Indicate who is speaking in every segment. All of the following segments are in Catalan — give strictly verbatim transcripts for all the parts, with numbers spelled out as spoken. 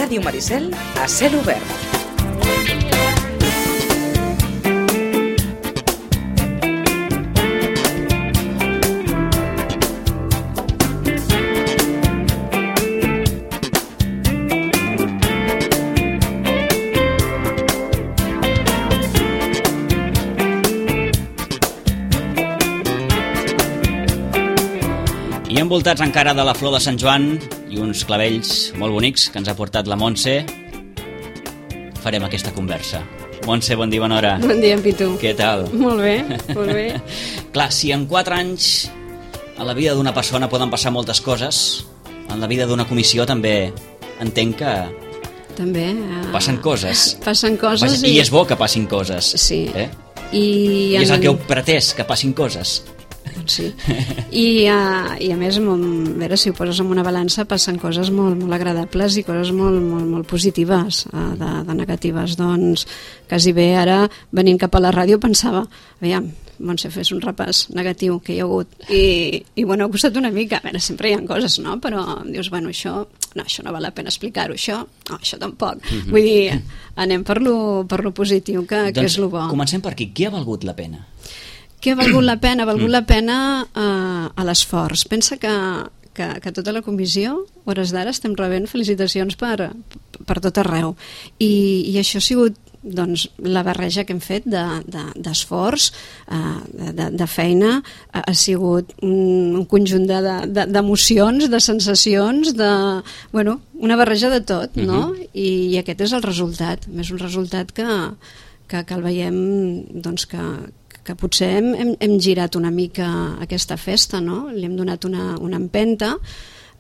Speaker 1: Ràdio Maricel a cel obert.
Speaker 2: I envoltats encara de la flor de Sant Joan i uns clavells molt bonics que ens ha portat la Montse, farem aquesta conversa. Montse, bon dia, bona hora.
Speaker 3: Bon dia, en Pitu.
Speaker 2: Què tal?
Speaker 3: Molt bé, molt bé.
Speaker 2: Clar, si en quatre anys a la vida d'una persona poden passar moltes coses, en la vida d'una comissió també entenc que
Speaker 3: també uh,
Speaker 2: passen coses.
Speaker 3: Passen coses
Speaker 2: Vaja, i... i és bo que passin coses.
Speaker 3: Sí.
Speaker 2: Eh?
Speaker 3: I,
Speaker 2: I és
Speaker 3: en...
Speaker 2: el que heu pretès, que passin coses.
Speaker 3: Sí. I, uh, i a més, molt, a veure, si ho poses en una balança, passen coses molt, molt agradables i coses molt, molt, molt positives, uh, de, de negatives. Doncs quasi bé ara, venint cap a la ràdio, pensava, aviam, Montse, fes un repàs negatiu que hi ha hagut. I, i bueno, ha costat una mica. A veure, sempre hi ha coses, no? Però dius, bueno, això no, això no val la pena explicar-ho, això, no, això tampoc. Mm-hmm. Vull dir, anem per lo, per lo positiu, que, doncs, que és lo bo.
Speaker 2: Comencem per aquí. Què ha valgut la pena?
Speaker 3: Què ha valgut la pena? Ha valgut la pena eh, a l'esforç. Pensa que, que, que tota la comissió, hores d'ara, estem rebent felicitacions per, per tot arreu. I, i això ha sigut doncs, la barreja que hem fet d'esforç, de, de, de, de feina, ha, ha sigut un, un conjunt d'emocions, de, de, de sensacions, de, bueno, una barreja de tot, no? Uh-huh. I, i aquest és el resultat. És un resultat que, que, que el veiem, doncs, que que potser hem, hem, hem girat una mica aquesta festa, no? Li hem donat una, una empenta,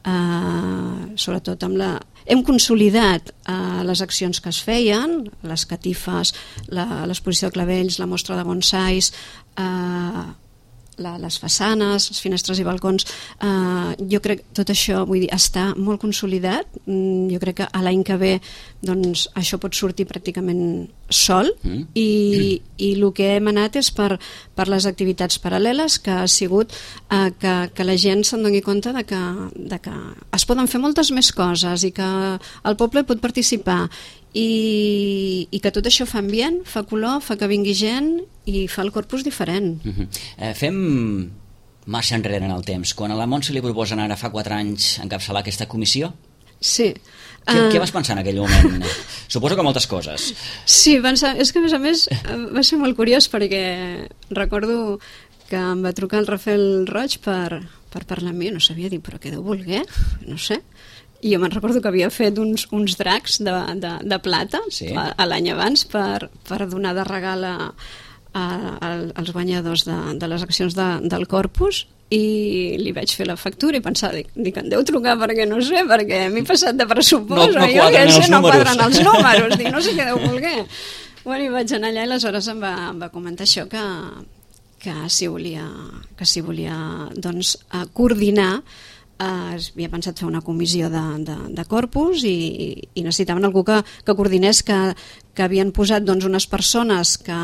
Speaker 3: eh, sobretot amb la... Hem consolidat eh, les accions que es feien, les catifes, l'exposició de clavells, la mostra de bonsais, eh, la, les façanes, les finestres i balcons, eh, jo crec que tot això, vull dir, està molt consolidat. Mm, jo crec que a l'any que ve doncs, això pot sortir pràcticament sol, mm. i, i el que hem anat és per, per les activitats paral·leles, que ha sigut eh, que, que la gent se'n doni compte de que, de que es poden fer moltes més coses i que el poble pot participar, i, i que tot això fa ambient, fa color, fa que vingui gent i fa el corpus diferent.
Speaker 2: Uh-huh. eh, fem marxa enrere en el temps. Quan a la Montse li proposen ara fa quatre anys encapçalar aquesta comissió,
Speaker 3: sí.
Speaker 2: Què, uh, què vas pensar en aquell moment? Suposo que moltes coses.
Speaker 3: Sí, pensar, és que a més a més va ser molt curiós, perquè recordo que em va trucar el Rafael Roig per, per parlar amb mi, no sabia dir, però què deu voler? No sé. I jo me'n recordo que havia fet uns, uns dracs de, de, de plata, sí, a, a l'any abans per, per donar de regal a, a, a, als guanyadors de, de les accions de, del Corpus, i li vaig fer la factura i pensar, dic, dic em deu trucar perquè no sé, perquè m'he passat de pressupost,
Speaker 2: no, no
Speaker 3: jo
Speaker 2: quadren,
Speaker 3: sé,
Speaker 2: els
Speaker 3: no
Speaker 2: números.
Speaker 3: quadren els números, dic, no sé què deu voler. Bueno, i vaig anar allà i aleshores em va, em va comentar això, que, que si volia, que si volia doncs, coordinar. Uh, havia pensat fer una comissió de, de, de corpus, i, i necessitaven algú que, que coordinés, que, que havien posat doncs, unes persones que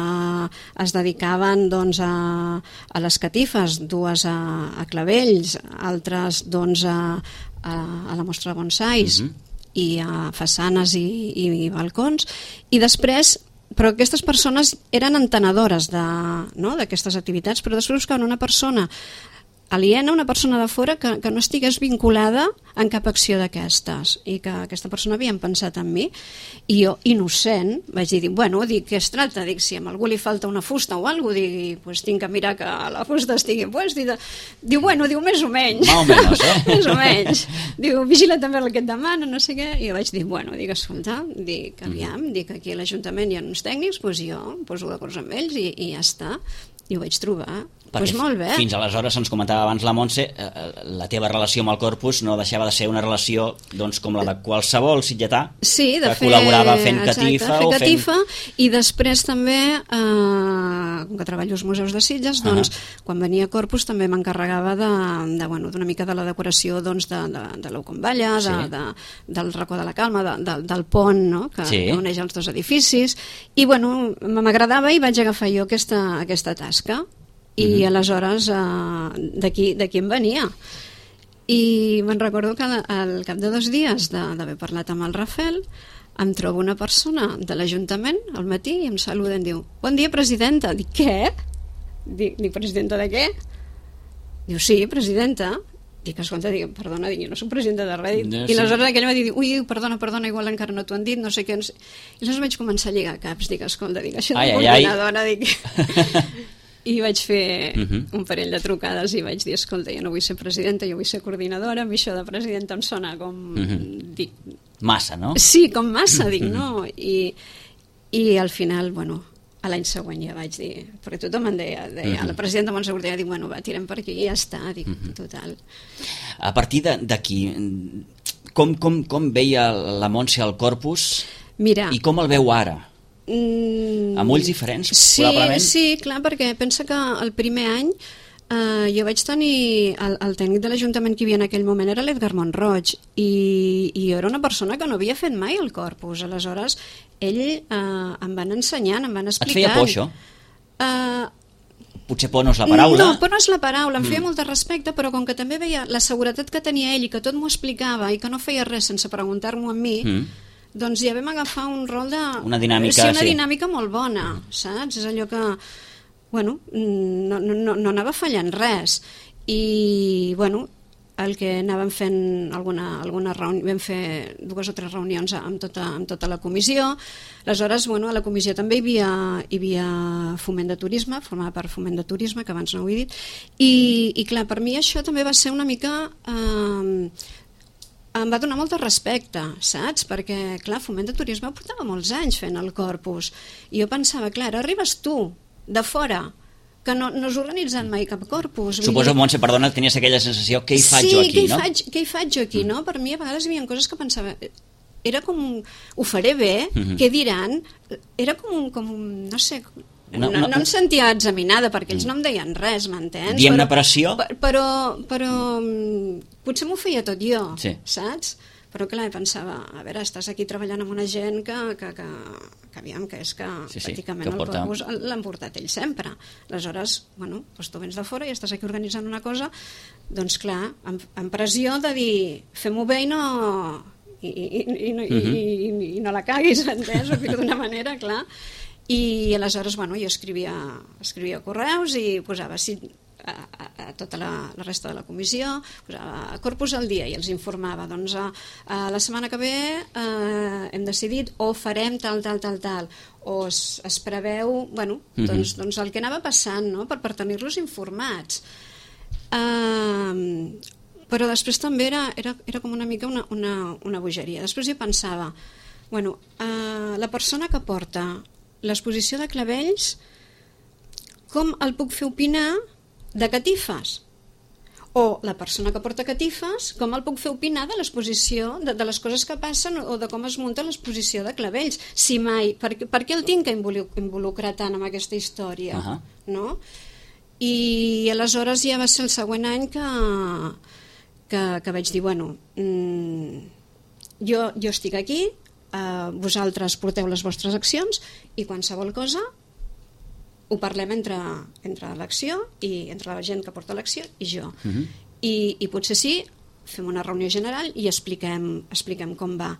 Speaker 3: es dedicaven doncs, a, a les catifes, dues a, a clavells, altres doncs, a, a, a la mostra de bonsais, uh-huh, i a façanes i, i, i balcons, i després, però aquestes persones eren entenedores de, no, d'aquestes activitats, però després buscaven una persona aliena, una persona de fora que, que no estigués vinculada en cap acció d'aquestes, i que aquesta persona havien pensat en mi, i jo, innocent, vaig dir, bueno, dic, què es tracta? Dic, si a algú li falta una fusta o alguna cosa, dic, pues tinc que mirar que la fusta estigui puesta, i diu, bueno, diu, més o menys,
Speaker 2: Mal o menys, eh?
Speaker 3: més o menys, diu, vigila també el que et demana, no sé què, i jo vaig dir, bueno, dic, escolta, dic, aviam, dic, aquí a l'Ajuntament hi ha uns tècnics, doncs jo em poso d'acord amb ells i, i ja està, i ho vaig trobar. Doncs pues molt bé.
Speaker 2: Fins aleshores, ens comentava abans la Montse, eh, la teva relació amb el Corpus no deixava de ser una relació doncs, com la de qualsevol sitgetà,
Speaker 3: sí, de
Speaker 2: que
Speaker 3: fer,
Speaker 2: col·laborava fent
Speaker 3: exacte,
Speaker 2: catifa.
Speaker 3: Fer
Speaker 2: o
Speaker 3: catifa
Speaker 2: fent...
Speaker 3: I després també, eh, com que treballo als museus de Sitges, doncs, uh-huh, quan venia Corpus també m'encarregava de, de, bueno, d'una mica de la decoració doncs, de, de, de l'Eucomballa, sí, de, de, del racó de la Calma, de, de, del pont, no? que, sí, que uneix els dos edificis, i bueno, m'agradava i vaig agafar jo aquesta, aquesta tasca. I uh-huh, aleshores eh, d'aquí d'aquí em venia, I me'n recordo que al cap de dos dies d'haver parlat amb el Rafel em trobo una persona de l'Ajuntament al matí i em saluda i em diu: bon dia, presidenta. Dic, què? Dic, dic presidenta de què? Diu, sí, presidenta. Dic, escolta, dic, perdona, dic, jo no soc presidenta de res. No, I aleshores sí. aquell va dir, ui, perdona, perdona, igual encara no t'ho han dit, no sé què. I aleshores vaig començar a lligar caps, dic, escolta, dic, això de coordinadora, dic... I vaig fer uh-huh. un parell de trucades i vaig dir, escolta, jo no vull ser presidenta, jo vull ser coordinadora, a mi això de presidenta em sona com... Uh-huh. Dic,
Speaker 2: massa, no?
Speaker 3: Sí, com massa, dic, no? I, i al final, bueno, a l'any següent ja vaig dir, perquè tothom em deia, deia uh-huh. la presidenta Montse Cortella, dic, bueno, va, tirem per aquí i ja està, dic, uh-huh. total.
Speaker 2: A partir d'aquí, com, com, com veia la Montse al Corpus
Speaker 3: Mira,
Speaker 2: i com el veu ara?
Speaker 3: Mm,
Speaker 2: amb ulls diferents,
Speaker 3: sí,
Speaker 2: probablement?
Speaker 3: Sí, clar, perquè pensa que el primer any eh, jo vaig tenir el, el tècnic de l'Ajuntament que hi havia en aquell moment era l'Edgar Montroig i, i jo era una persona que no havia fet mai el Corpus, aleshores ell eh, em van ensenyant, em van explicant.
Speaker 2: Et feia por això?
Speaker 3: Eh,
Speaker 2: Potser por no és la paraula.
Speaker 3: No, por no és la paraula, em feia mm. molt de respecte, però com que també veia la seguretat que tenia ell i que tot m'ho explicava i que no feia res sense preguntar-m'ho a mi, mm. doncs ja vam agafar un rol de...
Speaker 2: Una dinàmica,
Speaker 3: sí. Una
Speaker 2: sí.
Speaker 3: dinàmica molt bona, saps? És allò que, bueno, no, no, no anava fallant res. I, bueno, el que anàvem fent alguna, alguna reunió, vam fer dues o tres reunions amb tota, amb tota la comissió. Aleshores, bueno, a la comissió també hi havia, hi havia foment de turisme, formava part foment de turisme, que abans no ho he dit, i, i clar, per mi això també va ser una mica... Eh, em va donar molt de respecte, saps? Perquè, clar, foment de turisme portava molts anys fent el Corpus. I jo pensava, clar, ara arribes tu, de fora, que no, no has organitzat mai cap Corpus.
Speaker 2: Suposo, dir... Montse, perdona, tenies aquella sensació, què hi faig
Speaker 3: sí,
Speaker 2: jo aquí,
Speaker 3: què
Speaker 2: no?
Speaker 3: Faig, què hi faig jo aquí, mm. no? Per mi a vegades hi havia coses que pensava... Era com, ho faré bé, mm-hmm. què diran? Era com, com no sé... No, no, no em sentia examinada perquè ells no em deien res, m'entens?
Speaker 2: Diem-ne pressió?
Speaker 3: Però, però potser m'ho feia tot jo,
Speaker 2: sí.
Speaker 3: saps? Però clar, pensava, a veure, estàs aquí treballant amb una gent que, que, que, que aviam, que és que sí, sí, pràcticament que el porta... Corpus l'han portat ells sempre. Aleshores, bueno, doncs tu vens de fora i estàs aquí organitzant una cosa, doncs clar, amb, amb pressió de dir, fem-ho bé i no... I, i, i, no, uh-huh. i, i, i no la caguis, entens? Ho dic d'una manera, clar. I aleshores, bueno, jo escrivia, escrivia correus i posava sí, a, a, a tota la, la resta de la comissió, posava Corpus al dia i els informava, doncs a, a la setmana que ve eh, hem decidit o farem tal, tal, tal, tal, o es, es preveu, bueno, uh-huh. doncs, doncs el que anava passant, no?, per, per tenir-los informats. Uh, però després també era, era, era com una mica una, una, una bogeria. Després jo pensava, bueno, uh, la persona que porta l'exposició de clavells, com el puc fer opinar de catifes? O la persona que porta catifes, com el puc fer opinar de l'exposició, de, de les coses que passen o de com es munta l'exposició de clavells? Si mai, per, per què el tinc que involucrar tant en aquesta història? Uh-huh. No? I aleshores ja va ser el següent any que, que, que vaig dir, bueno, mmm, jo, jo estic aquí, Uh, vosaltres porteu les vostres accions i qualsevol cosa ho parlem entre, entre l'acció i entre la gent que porta l'acció i jo. Uh-huh. I, i potser sí, fem una reunió general i expliquem, expliquem com va,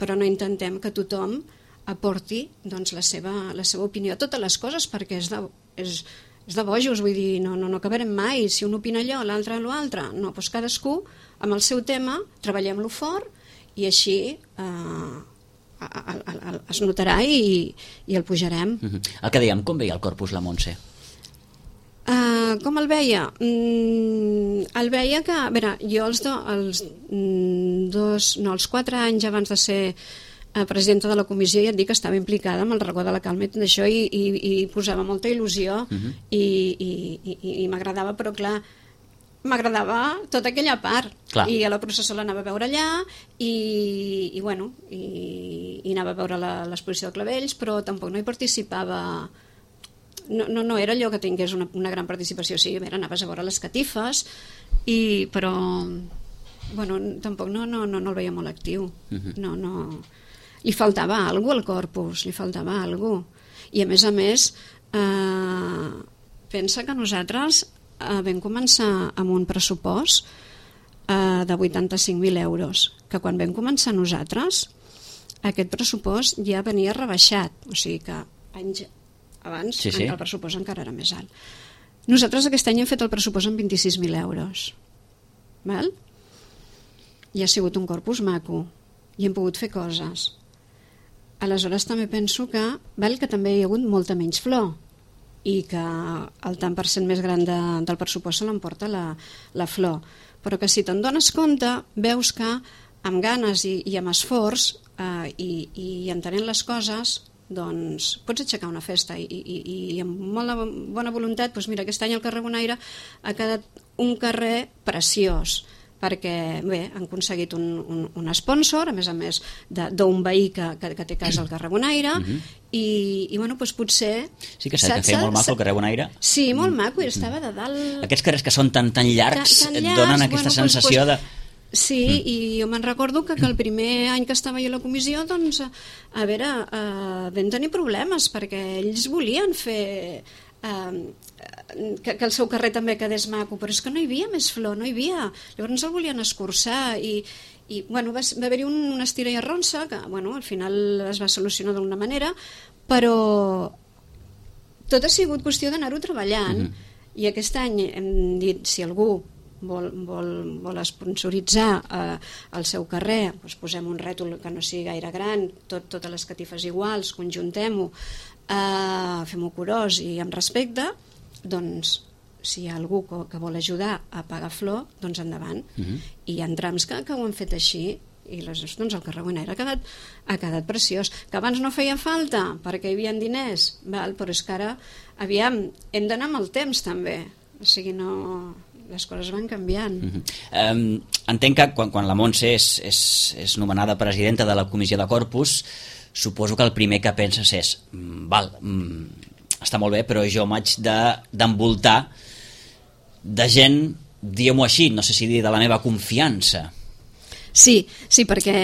Speaker 3: però no intentem que tothom aporti doncs, la, seva, la seva opinió a totes les coses, perquè és de, és, és de bojos, vull dir, no, no, no acabarem mai, si un opina allò, l'altre l'altre, no, doncs cadascú amb el seu tema, treballem-lo fort i així eh, es notarà i, i el pujarem.
Speaker 2: Uh-huh. El que dèiem, com veia el Corpus la Montse?
Speaker 3: Uh, com el veia? Mm, el veia que, a veure, jo els, do, els dos, no, els quatre anys abans de ser uh, presidenta de la comissió ja et dic que estava implicada amb el racó de la calma i d'això i, i, i posava molta il·lusió uh-huh. i, i, i, i m'agradava, però clar, m'agradava tota aquella part. Clar. I a la processó l'anava a veure allà i, i bueno i, i anava a veure l'exposició de clavells, però tampoc no hi participava, no, no, no era allò que tingués una, una gran participació. Sí, a veure, anaves a veure les catifes i, però bueno, tampoc no, no, no, no el veia molt actiu. Uh-huh. no, no. Li faltava alguna cosa al Corpus, li faltava alguna cosa. I a més a més eh, pensa que nosaltres vam començar amb un pressupost eh, de vuitanta-cinc mil euros, que quan vam començar nosaltres aquest pressupost ja venia rebaixat, o sigui que anys abans
Speaker 2: sí, sí.
Speaker 3: el pressupost encara era més alt. Nosaltres aquest any hem fet el pressupost amb vint-i-sis mil euros. Val? I ha sigut un corpus maco i hem pogut fer coses. Aleshores també penso que, val, que també hi ha hagut molta menys flor i que el tant per cent més gran de, del pressupost se l'emporta la, la flor, però que si te'n dones compte veus que amb ganes i, i amb esforç eh, i, i entenent les coses, doncs pots aixecar una festa i, i, i amb molt bona voluntat, doncs mira, aquest any el carrer Bonaire ha quedat un carrer preciós, perquè bé, han aconseguit un, un, un sponsor, a més a més d'un veí que, que, que té casa al carrer Bonaire, uh -huh. i, i bueno, doncs potser...
Speaker 2: Sí que s'ha de fer molt maco el carrer Bonaire.
Speaker 3: Sí, molt maco, i estava de dalt...
Speaker 2: Aquests carrers que són tan, tan llargs, tan, tan llargs et donen aquesta bueno, sensació doncs, de...
Speaker 3: Sí, mm. i jo me'n recordo que, que el primer any que estava jo a la comissió, doncs, a veure, eh, vam tenir problemes, perquè ells volien fer... Uh, que, que el seu carrer també quedés maco, però és que no hi havia més flor, no hi havia, llavors el volien escurçar i, i bueno, va, va haver-hi un, una estira i arronsa que bueno, al final es va solucionar d'una manera, però tot ha sigut qüestió d'anar-ho treballant. Mm-hmm. I aquest any hem dit, si algú vol, vol, vol sponsoritzar eh, el seu carrer, doncs posem un rètol que no sigui gaire gran, tot, totes les catifes iguals, conjuntem-ho, Uh, fem-ho curós i amb respecte, doncs si hi ha algú que, que vol ajudar a pagar flor, doncs endavant. Uh-huh. I hi ha trams que, que ho han fet així i les, doncs el carrer Bonaire ha quedat, ha quedat preciós, que abans no feia falta perquè hi havia diners, val? Però és que ara aviam, hem d'anar amb el temps també, o sigui, no... les coses van canviant.
Speaker 2: Uh-huh. um, entenc que quan, quan la Montse és, és, és nomenada presidenta de la comissió de Corpus, suposo que el primer que penses és val, mm, està molt bé, però jo m'haig d'envoltar de, de gent, diguem-ho així, no sé si dir de la meva confiança.
Speaker 3: Sí, sí, perquè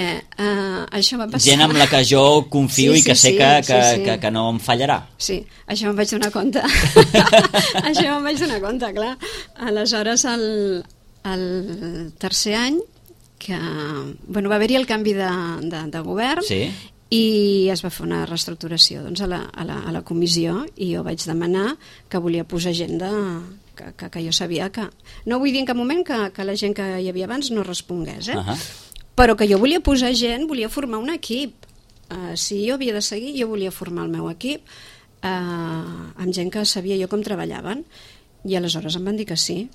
Speaker 3: uh, això va passar...
Speaker 2: Gent amb la que jo confio sí, sí, i que sé
Speaker 3: sí,
Speaker 2: que, que,
Speaker 3: sí, sí.
Speaker 2: Que, que no em fallarà.
Speaker 3: Sí, això me'n vaig donar compte. Això me'n vaig donar compte, clar. Aleshores, el, el tercer any, que bueno, va haver-hi el canvi de, de, de govern, sí. I es va fer una reestructuració doncs, a, la, a, la, a la comissió, i jo vaig demanar que volia posar gent de, que, que, que jo sabia que... No vull dir en cap moment que, que la gent que hi havia abans no respongués, eh? Uh-huh. Però que jo volia posar gent, volia formar un equip. Uh, si jo havia de seguir, jo volia formar el meu equip uh, amb gent que sabia jo com treballaven, i aleshores em van dir que sí.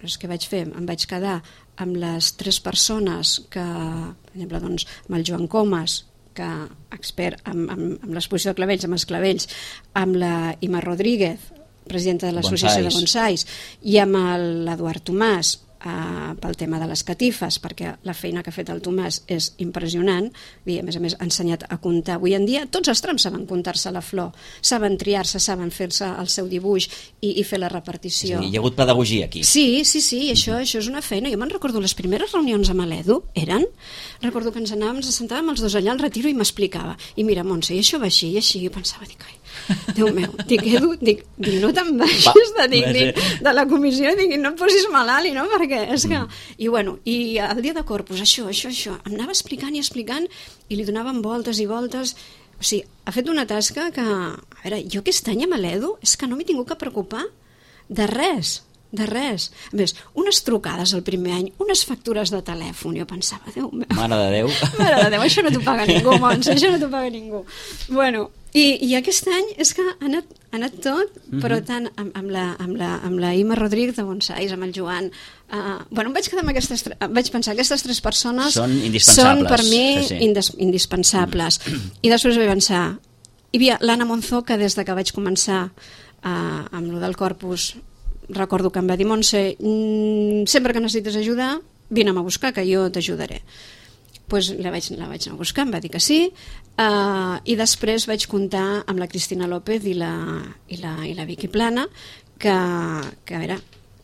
Speaker 3: És que vaig fer, em vaig quedar amb les tres persones que, per exemple, doncs, amb el Joan Comas, que expert amb, amb, amb l'exposició de clavells, amb els clavells, amb la Ima Rodríguez, presidenta de l'Associació de Bonsais, i amb l'Eduard Tomàs, eh, pel tema de les catifes, perquè la feina que ha fet el Tomàs és impressionant, i a més a més ha ensenyat a comptar. Avui en dia tots els trams saben comptar-se la flor, saben triar-se, saben fer-se el seu dibuix i, i fer la repartició.
Speaker 2: Sí, hi ha hagut pedagogia aquí.
Speaker 3: Sí, sí, sí, això, mm-hmm. això és una feina. Jo me'n recordo les primeres reunions amb l'Edu, eren, recordo que ens anàvem, ens sentàvem els dos allà al retiro i m'explicava, i mira, Montse, i això va així, i així, i jo pensava, dic, ai, Déu meu, dic, Edu, dic, dic no te'n baixis de, dic, dic, de la comissió, dic, no et posis malalt, no? Perquè és que... I bueno, i el dia de Corpus, això, això, això, em anava explicant i explicant i li donaven voltes i voltes. O sigui, ha fet una tasca que... A veure, jo aquest any amb l'Edu és que no m'he tingut que preocupar de res, de res. A més, unes trucades el primer any, unes factures de telèfon, jo pensava, Déu meu...
Speaker 2: Mare de Déu.
Speaker 3: Mare de Déu, això no t'ho paga ningú, Montse, això no t'ho paga ningú. Bueno, i, i aquest any és que ha anat, ha anat tot, mm-hmm. però tant amb, amb, la, amb, la, amb la Ima Rodríguez de Bonsais, amb el Joan... Uh, bueno, em vaig quedar amb aquestes... Vaig pensar, aquestes tres persones
Speaker 2: són indispensables.
Speaker 3: Són per mi
Speaker 2: sí, sí.
Speaker 3: Indis, indispensables. Mm. I després vaig pensar... Hi havia l'Anna Monzó, que des de que vaig començar uh, amb lo del Corpus, recordo que em va dir, Montse, mm, sempre que necessites ajudar, vine a buscar, que jo t'ajudaré. Pues la vaig, la vaig anar a buscar, em va dir que sí, uh, i després vaig comptar amb la Cristina López i la, i la, i la Vicky Plana, que, que a veure,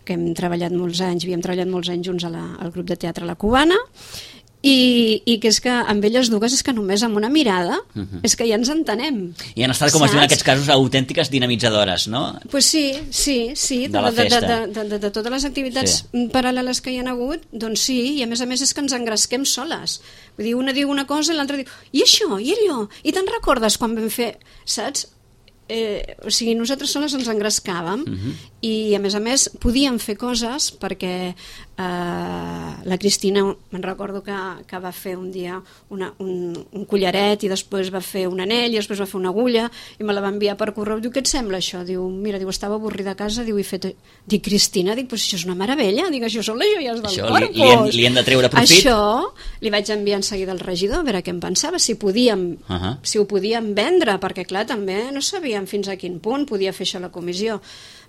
Speaker 3: que hem treballat molts anys, havíem treballat molts anys junts a la, al grup de teatre La Cubana, I, i que és que amb elles dues és que només amb una mirada uh -huh. és que ja ens entenem.
Speaker 2: I han estat, com es diu en aquests casos, autèntiques dinamitzadores, no?
Speaker 3: Pues sí, sí, sí,
Speaker 2: de, de la festa.
Speaker 3: De, de, de, de totes les activitats sí. paral·leles que hi ha hagut, doncs sí, i a més a més és que ens engresquem soles. Vull dir, una diu una cosa i l'altra diu, i això, i allò, i te'n recordes quan vam fer, saps? Eh, o sigui, nosaltres soles ens engrescàvem uh-huh. i a més a més podíem fer coses perquè eh, la Cristina, me'n recordo que, que va fer un dia una, un, un collaret i després va fer un anell i després va fer una agulla i me la va enviar per correu. Diu, què et sembla això? Diu, mira, diu, estava avorrida a casa, diu, he fet... Dic, Cristina, dic, però això és una meravella, dic, això són les joies del
Speaker 2: això,
Speaker 3: Corpus.
Speaker 2: Li, li, hem, li hem de treure profit.
Speaker 3: Això li vaig enviar en seguida al regidor a veure què em pensava, si podíem uh-huh. si ho podíem vendre, perquè clar, també no sabíem fins a quin punt podia fer això la comissió.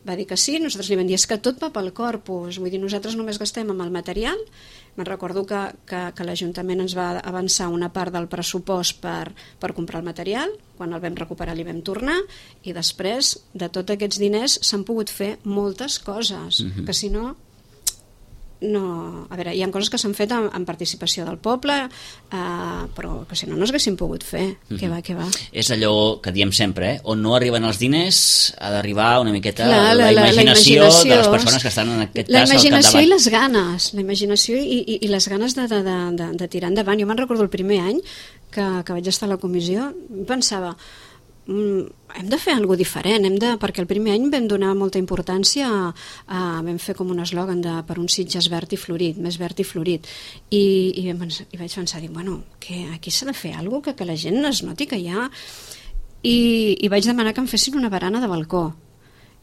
Speaker 3: Va dir que sí, nosaltres li vam dir, és que tot va pel Corpus, vull dir, nosaltres només gastem amb el material. Me'n recordo que, que, que l'Ajuntament ens va avançar una part del pressupost per, per comprar el material, quan el vam recuperar li vam tornar, i després de tots aquests diners s'han pogut fer moltes coses, uh-huh. que si no... no, a veure, hi ha coses que s'han fet amb, amb participació del poble, eh, però que si no no es pogut fer. Mm-hmm. Què va, què va?
Speaker 2: És allò que diem sempre, eh? On no arriben els diners ha d'arribar una miqueta
Speaker 3: Clar,
Speaker 2: la, la, la, imaginació
Speaker 3: la imaginació
Speaker 2: de les persones que estan en aquest
Speaker 3: la
Speaker 2: cas al
Speaker 3: imaginació
Speaker 2: capdavant.
Speaker 3: I les ganes, la imaginació i, i, i les ganes de, de, de, de, de tirar endavant. Jo me'n recordo el primer any que, que vaig estar a la comissió, pensava, hem de fer alguna cosa diferent, hem de, perquè el primer any vam donar molta importància a, a, vam fer com un eslògan de per un Sitges verd i florit, més verd i florit, i, i, i vaig pensar, dic, bueno, que aquí s'ha de fer alguna cosa que, que la gent es noti que hi ha, i, i vaig demanar que em fessin una barana de balcó,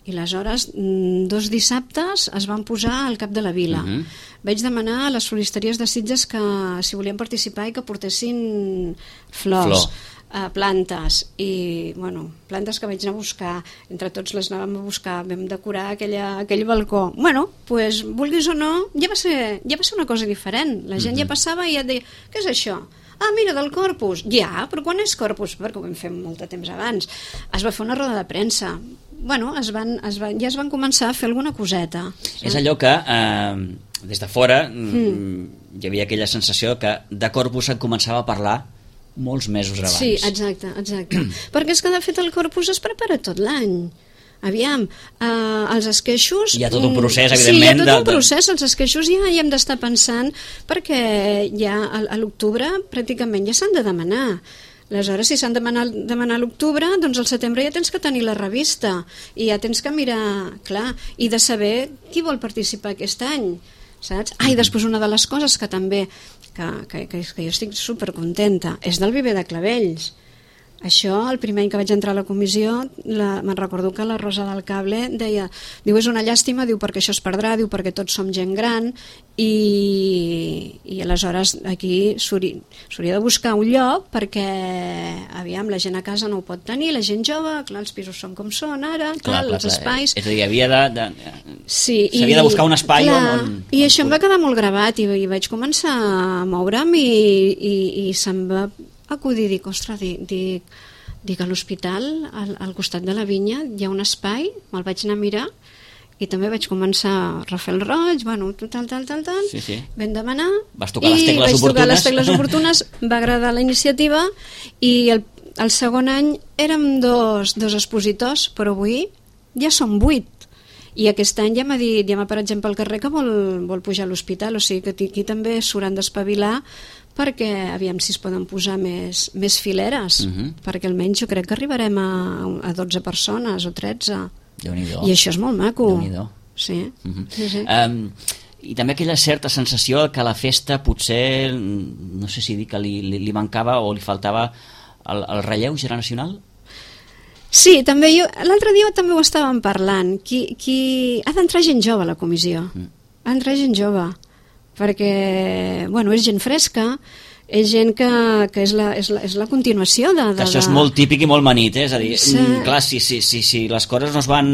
Speaker 3: i aleshores dos dissabtes es van posar al cap de la vila. Uh-huh. Vaig demanar a les floristeries de Sitges que si volien participar i que portessin flors. Flor. Uh, plantes i bueno, plantes que vaig anar a buscar, entre tots les anàvem a buscar, vam decorar aquella, aquell balcó. Bueno, pues, vulguis o no, ja va ser, ja va ser una cosa diferent. La gent mm-hmm. ja passava i ja et deia, què és això? Ah, mira, del Corpus. Ja, però quan és Corpus? Perquè ho vam fer molt de temps abans. Es va fer una roda de premsa. Bueno, es van, es van, ja es van començar a fer alguna coseta. Sí?
Speaker 2: És allò que eh, des de fora mm. hi havia aquella sensació que de Corpus se'n començava a parlar molts mesos abans.
Speaker 3: Sí, exacte, exacte. Perquè és que de fet el Corpus es prepara tot l'any. Aviam, eh, els esqueixos...
Speaker 2: Hi ha tot un procés, evidentment.
Speaker 3: Sí, hi ha tot un procés, els esqueixos ja hi hem d'estar pensant perquè ja a, a l'octubre pràcticament ja s'han de demanar. Aleshores, si s'han de demanar, demanar a l'octubre, doncs al setembre ja tens que tenir la revista i ja tens que mirar, clar, i de saber qui vol participar aquest any, saps? Ah, i després una de les coses que també que, que, que, que jo estic supercontenta és del viver de clavells. Això, el primer any que vaig entrar a la comissió, la, me'n recordo que la Rosa del Cable deia, diu, és una llàstima, diu, perquè això es perdrà, diu, perquè tots som gent gran, i, i aleshores aquí s'hauria de buscar un lloc perquè, aviam, la gent a casa no ho pot tenir, la gent jove, clar, els pisos són com són ara, clar, clar, clar els espais...
Speaker 2: És a dir, havia de... de
Speaker 3: sí,
Speaker 2: s'havia de buscar un espai
Speaker 3: clar,
Speaker 2: on...
Speaker 3: I això em va quedar molt gravat i, i vaig començar a moure'm i, i, i se'm va acudir, dic, ostres, dic, dic, dic a l'hospital, al, al costat de la vinya, hi ha un espai, me'l vaig anar a mirar, i també vaig començar a refer el roig, bueno, tal, tal, tal, tal,
Speaker 2: sí, sí.
Speaker 3: vam demanar,
Speaker 2: vas tocar les tecles
Speaker 3: i vaig
Speaker 2: oportunes.
Speaker 3: tocar les tecles oportunes, va agradar la iniciativa, i el, el segon any érem dos, dos expositors, però avui ja som vuit. I aquest any ja m'ha dit, ja m'ha per exemple al carrer que vol, vol pujar a l'hospital, o sigui que aquí també s'hauran d'espavilar perquè aviam si es poden posar més, més fileres, uh-huh. perquè almenys jo crec que arribarem a, a dotze persones o tretze.
Speaker 2: Déu-n'hi-do.
Speaker 3: I això és molt maco.
Speaker 2: Déu-n'hi-do.
Speaker 3: Sí.
Speaker 2: Uh-huh.
Speaker 3: sí, sí.
Speaker 2: Um, I també aquella certa sensació que a la festa potser, no sé si dir que li, li, li mancava o li faltava el, el relleu generacional?
Speaker 3: Sí, també jo, l'altre dia també ho estàvem parlant, qui, qui... ha d'entrar gent jove a la comissió, mm. ha d'entrar gent jove, perquè, bueno, és gent fresca, és gent que, que és, la, és, la, és la continuació de... de
Speaker 2: que això és
Speaker 3: de...
Speaker 2: molt típic i molt manit, eh? És a dir,
Speaker 3: sí.
Speaker 2: clar, si, si, si, si les coses no es van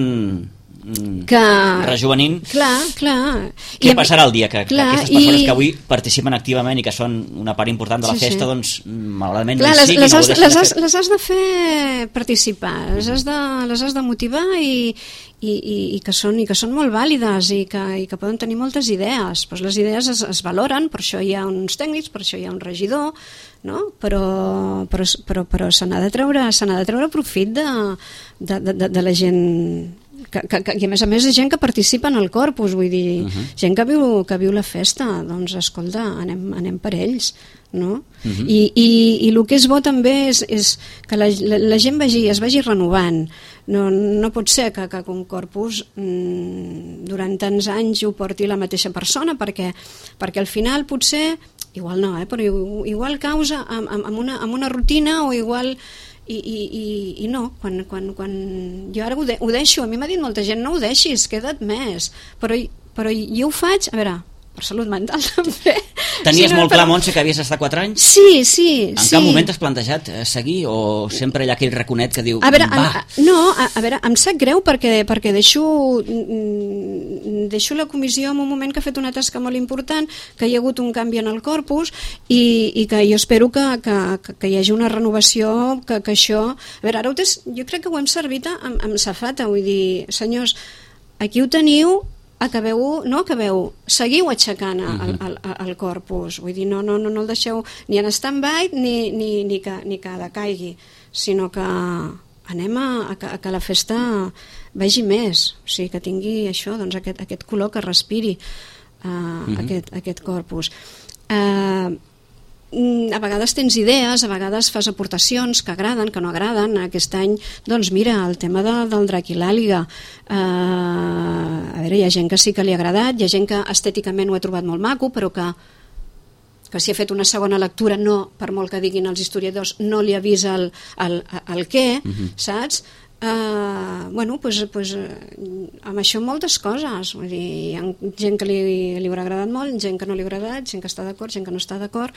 Speaker 3: que...
Speaker 2: rejuvenint.
Speaker 3: Clar, clar.
Speaker 2: Què I passarà el dia que, clar, que aquestes persones
Speaker 3: i...
Speaker 2: que avui participen activament i que són una part important de la
Speaker 3: sí,
Speaker 2: festa,
Speaker 3: sí.
Speaker 2: doncs, malauradament,
Speaker 3: clar,
Speaker 2: no hi siguin,
Speaker 3: les, les, has, les, has,
Speaker 2: fer...
Speaker 3: les has de fer participar, les has de, les has de motivar i, i, i, i, que són, i que són molt vàlides i que, i que poden tenir moltes idees. Pues les idees es, es valoren, per això hi ha uns tècnics, per això hi ha un regidor, no? però, però, però, però se n'ha de treure, se n'ha de treure profit de, de, de, de la gent... Que, que, que, i a més a més és gent que participa en el corpus, vull dir, uh -huh. gent que viu, que viu la festa, doncs escolta, anem, anem per ells, no? Uh -huh. I, i, i el que és bo també és, és que la, la, la gent vagi, es vagi renovant. No, no pot ser que, que un corpus mmm, durant tants anys ho porti la mateixa persona, perquè, perquè al final potser, igual no, eh, però igual causa amb, amb, una, amb una rutina o igual... I, i, i, i no, quan, quan, quan jo ara ho, de, ho deixo, a mi m'ha dit molta gent no ho deixis, queda't més, però, però jo ho faig, a veure, per salut mental també.
Speaker 2: Tenies
Speaker 3: sí, no,
Speaker 2: molt
Speaker 3: però...
Speaker 2: clar, Montse, que havies d'estar quatre anys?
Speaker 3: Sí, sí.
Speaker 2: En
Speaker 3: sí.
Speaker 2: cap moment t'has plantejat seguir o sempre hi ha aquell raconet que diu
Speaker 3: a veure,
Speaker 2: va?
Speaker 3: Em, no, a, a veure, em sap greu perquè, perquè deixo, deixo la comissió en un moment que ha fet una tasca molt important, que hi ha hagut un canvi en el corpus i, i que jo espero que, que, que hi hagi una renovació, que, que això... A veure, ara ho tens, jo crec que ho hem servit amb, amb safata, vull dir, senyors, aquí ho teniu, acabeu, no acabeu, seguiu aixecant el, el, el, el corpus, vull dir, no, no, no, no el deixeu ni en stand-by ni, ni, ni, que, ni que decaigui, sinó que anem a, a, que, a que la festa vagi més, o sigui, que tingui això, doncs aquest, aquest color que respiri uh, uh-huh. aquest, aquest corpus. Uh, a vegades tens idees, a vegades fas aportacions que agraden, que no agraden. Aquest any, doncs mira, el tema de, del drac i l'àliga, uh, a veure, hi ha gent que sí que li ha agradat, hi ha gent que estèticament ho ha trobat molt maco, però que que si ha fet una segona lectura, no, per molt que diguin els historiadors, no li avisa el, el, el què, uh-huh. saps? Uh, bueno, pues, pues, amb això moltes coses, vull dir, hi ha gent que li, li haurà agradat molt, gent que no li ha agradat, gent que està d'acord, gent que no està d'acord,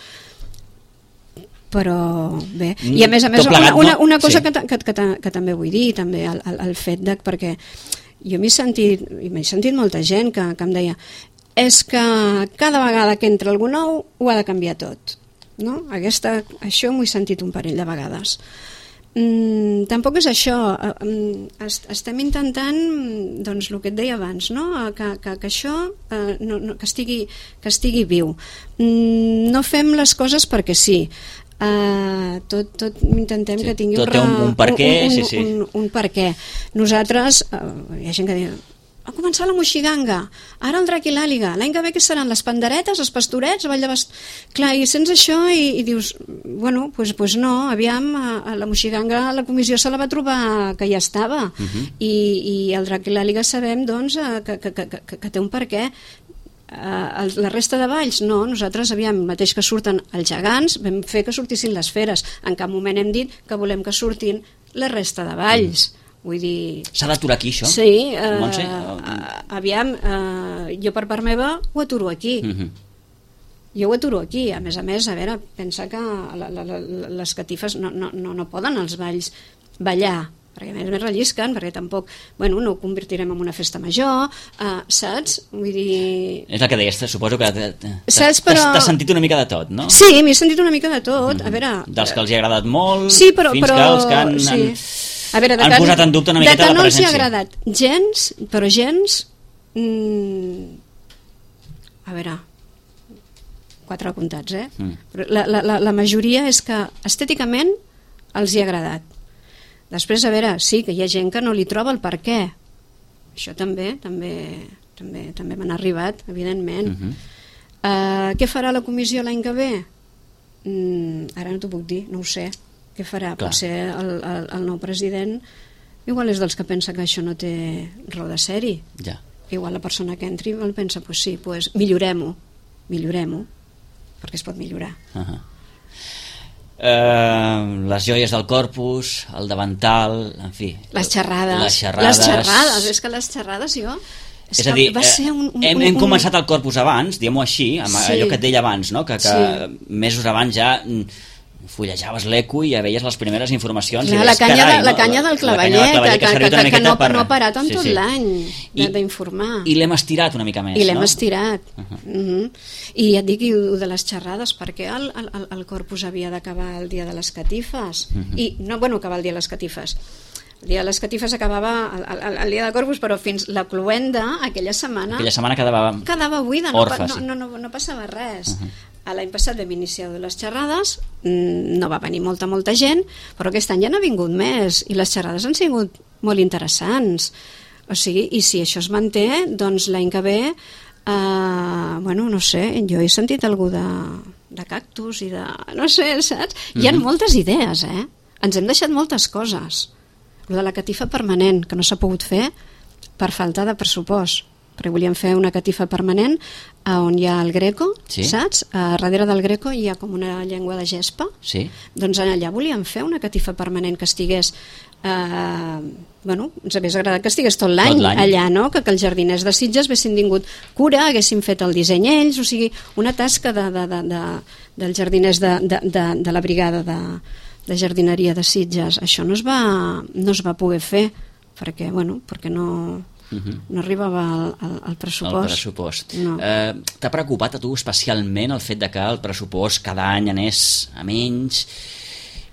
Speaker 3: però bé, i a més a més
Speaker 2: plegat,
Speaker 3: una, una, una cosa
Speaker 2: no? sí.
Speaker 3: que, que, que, que també vull dir, també el, el, el fet de, perquè jo m'he sentit, m'he sentit molta gent que, que em deia és que cada vegada que entra algú nou ho ha de canviar tot, no? Aquesta, això m'ho he sentit un parell de vegades. Mm, tampoc és això, estem intentant, doncs el que et deia abans, no? que, que, que això eh, no, no, que, estigui, que estigui viu. Mm, no fem les coses perquè sí. Uh, tot, tot intentem sí, que tingui
Speaker 2: tot un, un, un per què,
Speaker 3: un, un,
Speaker 2: sí, sí.
Speaker 3: un, un per què. Nosaltres, uh, hi ha gent que diu va començar la moixiganga, ara el drac i l'àliga, l'any que ve que seran les panderetes, els pastorets, ball de bast... Clar, i sents això i, i dius, bueno, doncs pues, pues no, aviam, a, a la moixiganga la comissió se la va trobar que ja estava, uh-huh. I, i el drac i l'àliga sabem, doncs, que, que, que, que, que té un per què. Uh, la resta de balls, no, nosaltres aviam, mateix que surten els gegants, vam fer que sortissin les feres, en cap moment hem dit que volem que surtin la resta de balls. Mm. Vull dir...
Speaker 2: S'ha d'aturar aquí, això?
Speaker 3: Sí, uh, uh, aviam, uh, jo per part meva ho aturo aquí. Uh-huh. Jo ho aturo aquí. A més a més, a veure, pensa que la, la, la, les catifes no, no, no, no poden els balls ballar, perquè a més més rellisquen, perquè tampoc, bueno, no ho convertirem en una festa major, uh, saps? Vull dir...
Speaker 2: És el que deies, suposo que
Speaker 3: t'has però...
Speaker 2: sentit una mica de tot, no?
Speaker 3: Sí, m'he sentit una mica de tot, mm-hmm. a veure...
Speaker 2: Dels que els hi ha agradat molt,
Speaker 3: sí, però,
Speaker 2: fins
Speaker 3: però...
Speaker 2: que els que han...
Speaker 3: Sí.
Speaker 2: han...
Speaker 3: A veure, de
Speaker 2: han
Speaker 3: que,
Speaker 2: posat en dubte una miqueta la presència. De que no els hi ha agradat
Speaker 3: gens, però gens... Mm, a veure, quatre apuntats, eh? Mm. Però la, la, la majoria és que estèticament els hi ha agradat. Després, a veure, sí, que hi ha gent que no li troba el per què. Això també, també, també, també m'han arribat, evidentment. Mm-hmm. Uh, què farà la comissió l'any que ve? Mm, ara no t'ho puc dir, no ho sé. Què farà? Clar. Potser el, el, el nou president igual és dels que pensa que això no té raó de ser-hi.
Speaker 2: Ja.
Speaker 3: Igual la persona que entri el pensa, pues sí, pues millorem-ho, millorem-ho, perquè es pot millorar. Uh-huh.
Speaker 2: Uh, les joies del corpus, el davantal, en fi...
Speaker 3: Les xerrades.
Speaker 2: Les xerrades.
Speaker 3: Les xerrades, és que les xerrades jo... És,
Speaker 2: és a dir,
Speaker 3: va ser un, un,
Speaker 2: hem,
Speaker 3: un,
Speaker 2: hem començat el corpus abans, diguem-ho així, amb
Speaker 3: sí.
Speaker 2: allò que et deia abans, no? que, que sí. mesos abans ja... fullejaves l'Eco i ja veies les primeres informacions.
Speaker 3: Clar,
Speaker 2: i
Speaker 3: la,
Speaker 2: deies,
Speaker 3: canya
Speaker 2: carai,
Speaker 3: de, la
Speaker 2: no?
Speaker 3: canya del clavellet,
Speaker 2: la canya del clavellet
Speaker 3: que, que, que, que, que no, per... no ha parat en sí, tot sí. l'any d'informar.
Speaker 2: I, i l'hem estirat una mica més,
Speaker 3: I l'hem
Speaker 2: no?
Speaker 3: estirat.
Speaker 2: Uh -huh.
Speaker 3: uh -huh. I ja et dic, i de les xerrades, perquè el, el, el corpus havia d'acabar el dia de les catifes. Uh -huh. I, no, bueno, acabar el dia de les catifes. El dia de les catifes acabava el, el, el dia de Corpus, però fins la cluenda, aquella setmana...
Speaker 2: Aquella setmana quedava...
Speaker 3: Quedava buida,
Speaker 2: orfa,
Speaker 3: no,
Speaker 2: sí.
Speaker 3: no, no, no passava res.
Speaker 2: Uh -huh.
Speaker 3: L'any passat vam iniciar les xerrades, no va venir molta, molta gent, però aquest any ja n'ha vingut més, i les xerrades han sigut molt interessants. O sigui, i si això es manté, doncs l'any que ve, eh, bueno, no sé, jo he sentit algú de, de cactus i de... no sé, saps? Hi ha uh -huh. moltes idees, eh? Ens hem deixat moltes coses. El de la catifa permanent, que no s'ha pogut fer per falta de pressupost, perquè volíem fer una catifa permanent on hi ha el Greco, sí? Saps? A darrere del Greco hi ha com una llengua de gespa,
Speaker 2: sí? Doncs
Speaker 3: allà volíem fer una catifa permanent que estigués eh, bueno, ens hauria agradat que estigués tot l'any allà, no? Que, que els jardiners de Sitges haguessin tingut cura, haguessin fet el disseny ells, o sigui, una tasca de, de, de, de, dels jardiners de, de, de, de la brigada de de jardineria de Sitges. Això no es va, no es va poder fer perquè, bueno, perquè no, uh-huh. no arribava al, al pressupost.
Speaker 2: El pressupost.
Speaker 3: No.
Speaker 2: Eh, t'ha preocupat a tu especialment el fet de que el pressupost cada any anés a menys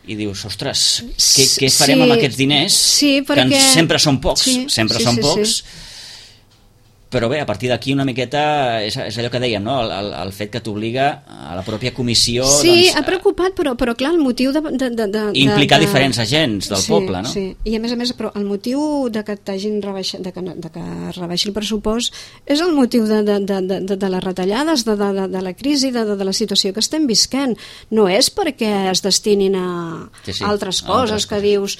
Speaker 2: i dius, ostres, què, què farem sí, amb aquests diners?
Speaker 3: Sí, perquè...
Speaker 2: Que sempre són pocs,
Speaker 3: sí,
Speaker 2: sempre
Speaker 3: sí,
Speaker 2: són
Speaker 3: sí,
Speaker 2: pocs.
Speaker 3: Sí.
Speaker 2: Però bé, a partir d'aquí una miqueta és, és allò que dèiem, no? el, el, el fet que t'obliga a la pròpia comissió
Speaker 3: sí,
Speaker 2: doncs,
Speaker 3: ha preocupat, però, però clar, el motiu de, de, de, de,
Speaker 2: implicar
Speaker 3: de,
Speaker 2: diferents agents del
Speaker 3: sí,
Speaker 2: poble, no?
Speaker 3: Sí, i a més a més, però el motiu de que t'hagin rebaixat, de que, de que rebaixi el pressupost és el motiu de, de, de, de, de les retallades, de, de, de la crisi, de, de la situació que estem visquent. No és perquè es destinin a
Speaker 2: sí, sí,
Speaker 3: altres coses,
Speaker 2: altres
Speaker 3: que
Speaker 2: coses.
Speaker 3: dius...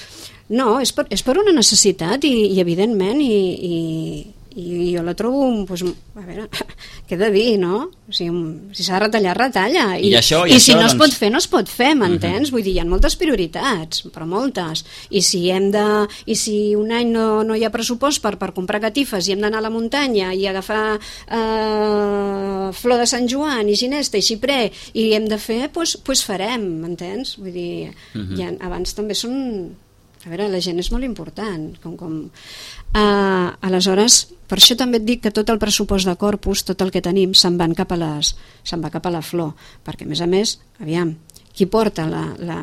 Speaker 3: No, és per, és per una necessitat i, i evidentment, i... i i jo la trobo, doncs, a veure, què he de dir, no? O sigui, si s'ha de retallar, retalla. I,
Speaker 2: I, això, i,
Speaker 3: i
Speaker 2: això,
Speaker 3: si no
Speaker 2: doncs...
Speaker 3: es pot fer, no es pot fer, m'entens?
Speaker 2: Uh-huh.
Speaker 3: Vull dir, hi ha moltes prioritats, però moltes. I si hem de... I si un any no, no hi ha pressupost per, per comprar catifes i hem d'anar a la muntanya i agafar eh, flor de Sant Joan i ginesta i xiprer i hem de fer, doncs, doncs farem, m'entens? Vull dir, uh-huh. ja, abans també són... A veure, la gent és molt important, com... com Uh, aleshores, per això també et dic que tot el pressupost de Corpus, tot el que tenim, se'n van cap a les, se'n va cap a la flor, perquè a més a més, aviam, qui porta la, la,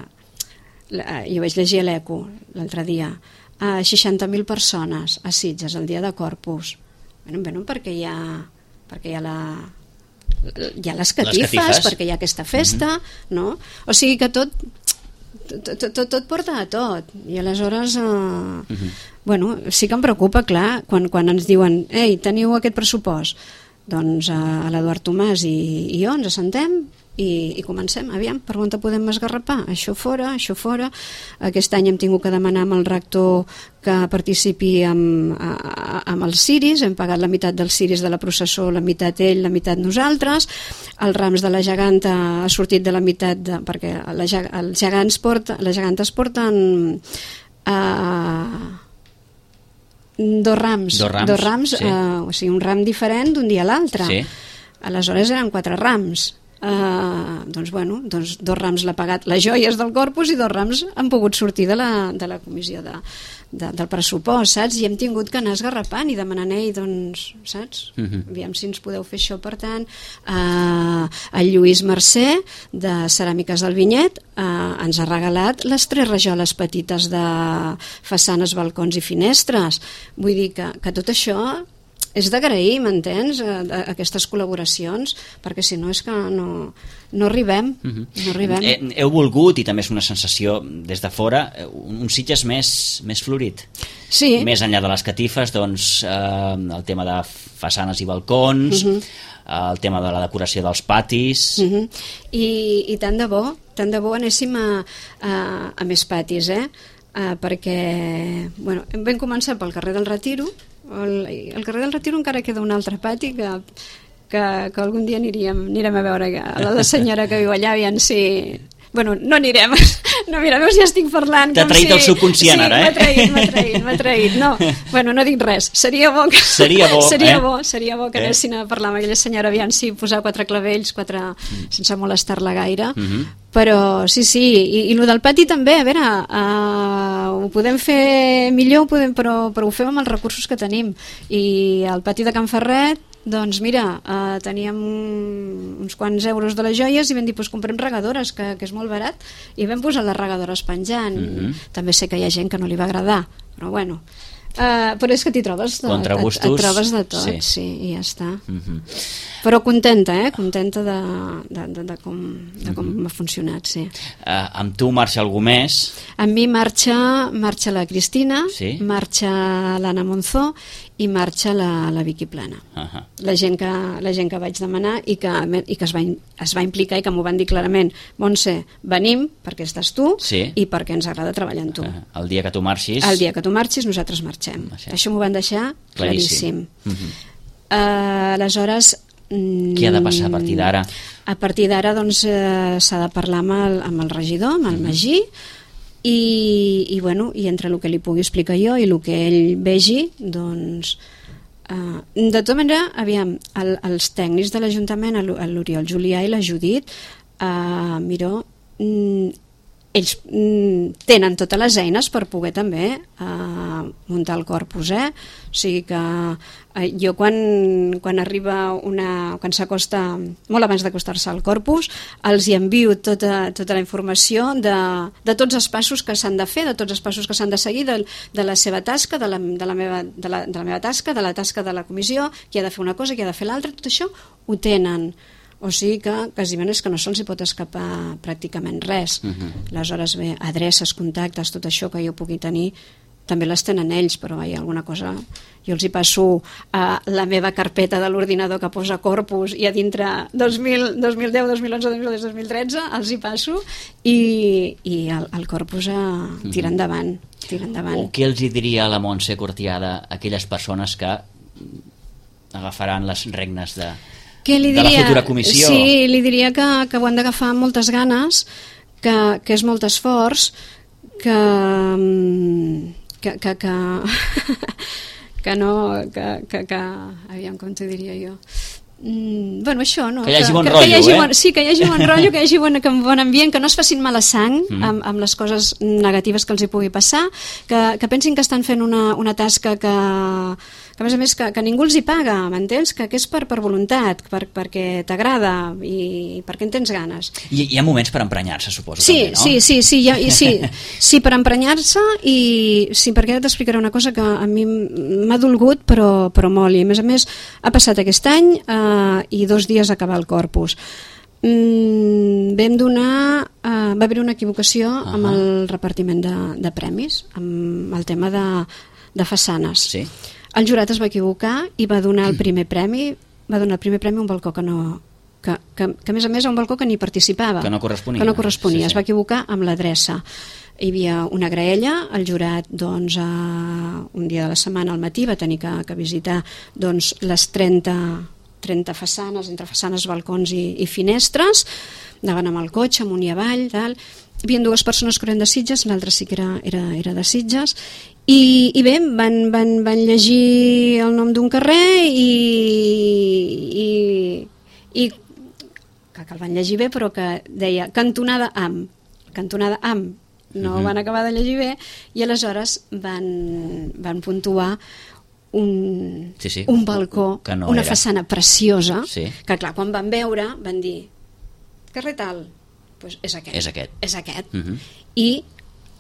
Speaker 3: la jo vaig llegir a l'Eco l'altre dia, a seixanta mil persones a Sitges el dia de Corpus, bueno, bueno, perquè hi ha perquè hi ha la hi ha les catifes, les catifes. Perquè hi ha aquesta festa, uh-huh. no? O sigui que tot tot, tot, tot porta a tot i aleshores eh, uh-huh. bueno, sí que em preocupa, clar, quan, quan ens diuen, ei, teniu aquest pressupost, doncs a l'Eduard Tomàs i, i jo ens assentem i, i comencem, aviam, per on te podem esgarrapar? Això fora, això fora. Aquest any hem tingut que demanar amb el rector que participi amb, a, amb els ciris, hem pagat la meitat dels ciris de la processó, la meitat ell, la meitat nosaltres, els rams de la geganta ha sortit de la meitat, de, perquè la, els gegants porta, les gegantes porten... Uh, dos rams,
Speaker 2: dos rams,
Speaker 3: dos rams
Speaker 2: sí.
Speaker 3: uh, o sigui, un ram diferent d'un dia a l'altre.
Speaker 2: Sí.
Speaker 3: Aleshores eren quatre rams. Uh, doncs bueno, doncs dos rams l'ha pagat les joies del Corpus i dos rams han pogut sortir de la, de la comissió de, de, del pressupost, saps? I hem tingut que anar esgarrapant i demanant, ei, doncs, saps? Uh-huh. Aviam si ens podeu fer això. Per tant, uh, el Lluís Mercè de Ceràmiques del Vinyet uh, ens ha regalat les tres rajoles petites de façanes, balcons i finestres. Vull dir que, que tot això és d'agrair, m'entens, aquestes col·laboracions, perquè si no és que no, no arribem. Uh-huh. No arribem.
Speaker 2: He, heu volgut, i també és una sensació des de fora, un Sitges més, més florit.
Speaker 3: Sí.
Speaker 2: Més enllà de les catifes, doncs, eh, el tema de façanes i balcons, uh-huh. el tema de la decoració dels patis...
Speaker 3: Uh-huh. I, i tant de bo, tant de bo anéssim a, a, a més patis, eh? Uh, perquè, bueno, vam començar pel carrer del Retiro. El, el carrer del Retiro encara queda un altre pati que, que, que algun dia aniríem, anirem a veure a la senyora que viu allà, aviam si, Bueno, no anirem. No, mira, veus, ja estic parlant.
Speaker 2: T'ha traït
Speaker 3: si...
Speaker 2: el subconscient,
Speaker 3: sí,
Speaker 2: ara, eh?
Speaker 3: m'ha traït, m'ha traït, m'ha traït. No, bueno, no dic res. Seria bo que...
Speaker 2: Seria bo,
Speaker 3: seria
Speaker 2: eh?
Speaker 3: bo, seria bo que
Speaker 2: eh?
Speaker 3: anessin a parlar amb aquella senyora, aviam si posar quatre clavells, quatre... Mm. sense molestar-la gaire. Mm -hmm. Però sí, sí, i, i el del pati també, a veure, uh, ho podem fer millor, ho podem, però, però ho fem amb els recursos que tenim. I al pati de Can Ferret, doncs mira, uh, teníem uns quants euros de les joies i vam dir, doncs comprem regadores, que, que és molt barat, i vam posar les regadores penjant. Mm-hmm. També sé que hi ha gent que no li va agradar, però bueno, uh, però és que t'hi trobes de,
Speaker 2: contra gustos,
Speaker 3: et, et trobes de tot, sí, sí, i ja està. Mm-hmm. Però contenta, eh? Contenta de, de, de, de com, de com mm-hmm. ha funcionat, sí.
Speaker 2: Uh, amb tu marxa algú més?
Speaker 3: Amb mi marxa, marxa la Cristina,
Speaker 2: sí?
Speaker 3: Marxa l'Anna Monzó i marxa la, la Vicky Plana. Uh-huh. La, gent que, la gent que vaig demanar i que, i que es, va, es va implicar i que m'ho van dir clarament. Montse, venim perquè estàs tu, sí, i perquè ens agrada treballar amb tu. Uh-huh.
Speaker 2: El dia que tu marxis...
Speaker 3: El dia que tu marxis nosaltres marxem. Uh-huh. Això m'ho van deixar claríssim. claríssim. Uh-huh. uh, aleshores...
Speaker 2: Què ha de passar a partir d'ara?
Speaker 3: A partir d'ara doncs, eh, s'ha de parlar amb el, amb el regidor, amb el Magí, i, i, bueno, i entre el que li pugui explicar jo i el que ell vegi, doncs... Uh, de tota manera, aviam, el, els tècnics de l'Ajuntament, l'Oriol Julià i la Judit, uh, Miró, mm, ells mm, tenen totes les eines per poder també uh, muntar el corpus, eh? O sigui que uh, jo quan, quan arriba una... quan s'acosta, molt abans d'acostar-se al corpus, els hi envio tota, tota la informació de, de tots els passos que s'han de fer, de tots els passos que s'han de seguir, de, de la seva tasca, de la, de, la meva, de, la, de la meva tasca, de la tasca de la comissió, qui ha de fer una cosa, qui ha de fer l'altra, tot això ho tenen. O sigui que quasiment és que no se'ls hi pot escapar pràcticament res. Uh-huh. Aleshores, bé, adreces, contactes, tot això que jo pugui tenir, també les tenen ells, però hi ha alguna cosa... Jo els hi passo a la meva carpeta de l'ordinador que posa corpus i a dintre dos mil, dos mil deu, dos mil onze, dos mil dotze, dos mil tretze els hi passo i, i el, el corpus a, tira endavant, tira endavant.
Speaker 2: O què els hi diria a la Montse Cortiada a aquelles persones que agafaran les regnes de...
Speaker 3: Què li
Speaker 2: diria? De la futura comissió?
Speaker 3: Sí, li diria que, que ho han d'agafar amb moltes ganes, que, que és molt esforç, que que, que, que, que no que, que, que aviam com t'ho diria jo, Mm, bueno, això, no?
Speaker 2: Que hi hagi bon
Speaker 3: que,
Speaker 2: rotllo,
Speaker 3: que hi hagi
Speaker 2: eh?
Speaker 3: Bon, sí, que hi hagi bon rotllo, que hi hagi bon, que bon ambient, que no es facin mala sang mm. amb, amb les coses negatives que els hi pugui passar, que, que pensin que estan fent una, una tasca que, que a més a més que, que ningú els hi paga, m'entens? Que, que és per, per voluntat, per, perquè t'agrada i perquè en tens ganes.
Speaker 2: I hi ha moments per emprenyar-se, suposo,
Speaker 3: sí,
Speaker 2: també, no?
Speaker 3: Sí, sí, sí, ja, i sí, sí, per emprenyar-se i sí, perquè ara t'explicaré una cosa que a mi m'ha dolgut, però, però molt, i a més a més ha passat aquest any eh, i dos dies a acabar el corpus. Mm, vam donar uh, va haver una equivocació uh -huh. amb el repartiment de, de premis, amb el tema de, de façanes.
Speaker 2: Sí.
Speaker 3: El jurat es va equivocar i va donar el primer premi, va donar el primer premi a un balcó que no... Que, que, que a més a més a un balcó que ni participava,
Speaker 2: que no corresponia,
Speaker 3: que no corresponia.
Speaker 2: Sí, sí.
Speaker 3: Es va equivocar amb l'adreça. Hi havia una graella, el jurat doncs, uh, un dia de la setmana al matí va tenir que, que visitar doncs, les trenta trenta façanes, entre façanes, balcons i, i finestres, anaven amb el cotxe amunt i avall, tal. Hi havia dues persones que eren de Sitges, l'altra sí que era, era, era de Sitges, i, i bé, van, van, van llegir el nom d'un carrer i, i, i que, que el van llegir bé, però que deia cantonada amb, cantonada amb, no uh-huh. van acabar de llegir bé, i aleshores van, van puntuar un, sí, sí. un balcó, no una era. façana preciosa, sí. que clar, quan van veure van dir, carrer tal, pues és aquest,
Speaker 2: és aquest,
Speaker 3: és aquest.
Speaker 2: Uh-huh.
Speaker 3: I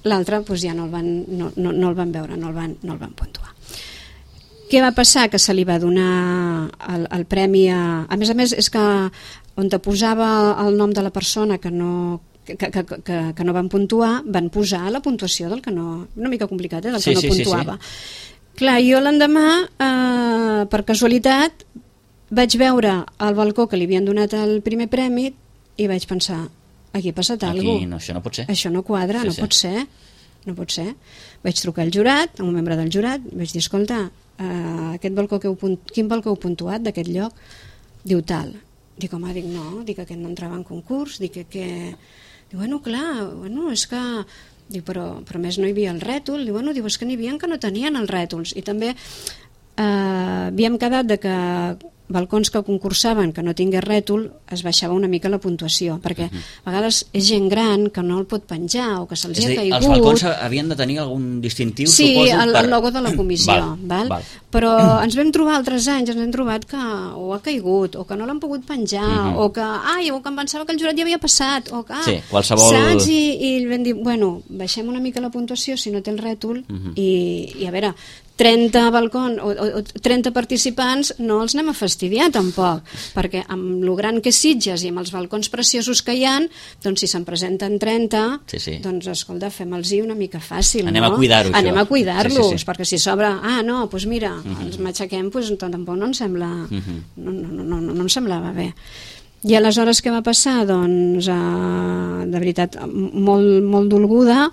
Speaker 3: l'altre pues, ja no el, van, no, no, no el van veure, no el van, no el van puntuar. Què va passar? Que se li va donar el, el premi a... A més a més, és que on te posava el nom de la persona que no... Que, que, que, que no van puntuar, van posar la puntuació del que no... Una mica complicat, eh? Del
Speaker 2: sí,
Speaker 3: que no
Speaker 2: sí,
Speaker 3: puntuava.
Speaker 2: Sí, sí.
Speaker 3: Clar, jo l'endemà, eh, per casualitat, vaig veure al balcó que li havien donat el primer premi i vaig pensar, aquí ha passat alguna cosa.
Speaker 2: No, això no pot ser.
Speaker 3: Això no quadra, sí, no sí. pot ser. No pot ser. Vaig trucar al jurat, a un membre del jurat, vaig dir, escolta, eh, aquest balcó que heu punt... quin balcó heu puntuat d'aquest lloc? Diu tal. Dic, home, dic, no, dic, aquest no entrava en concurs, dic que... que... Diu, bueno, clar, bueno, és que... Diu, però, però més no hi havia el rètol. Diu, bueno, diu, és que n'hi havia que no tenien els rètols. I també eh, havíem quedat de que balcons que concursaven que no tingués rètol es baixava una mica la puntuació, perquè uh-huh. a vegades és gent gran que no el pot penjar o que se'ls ha caigut.
Speaker 2: Els balcons havien de tenir algun distintiu,
Speaker 3: sí,
Speaker 2: suposo?
Speaker 3: Sí, el,
Speaker 2: per...
Speaker 3: el logo de la comissió. val, val? Val. Però ens vam trobar altres anys, ens hem trobat que o ha caigut, o que no l'han pogut penjar, uh-huh. o que ai, o que em pensava que el jurat ja havia passat, o que... Ah,
Speaker 2: sí, qualsevol...
Speaker 3: Saps? I, i vam dir, bueno, baixem una mica la puntuació si no té el rètol, uh-huh. i, i a veure... trenta balcons o, o trenta participants no els anem a fastidiar tampoc, perquè amb lo gran que és Sitges i amb els balcons preciosos que hi ha, doncs si se'n presenten trenta, sí, sí. doncs escolta, fem-los-hi una mica fàcil,
Speaker 2: anem
Speaker 3: no?
Speaker 2: a cuidar-ho,
Speaker 3: anem a cuidar-los, sí, sí, sí. perquè si s'obre, ah no, doncs mira, uh-huh. ens matxaquem, doncs tampoc no em sembla uh-huh. no, no, no, no, no em semblava bé. I aleshores què va passar? Doncs eh, de veritat molt, molt dolguda,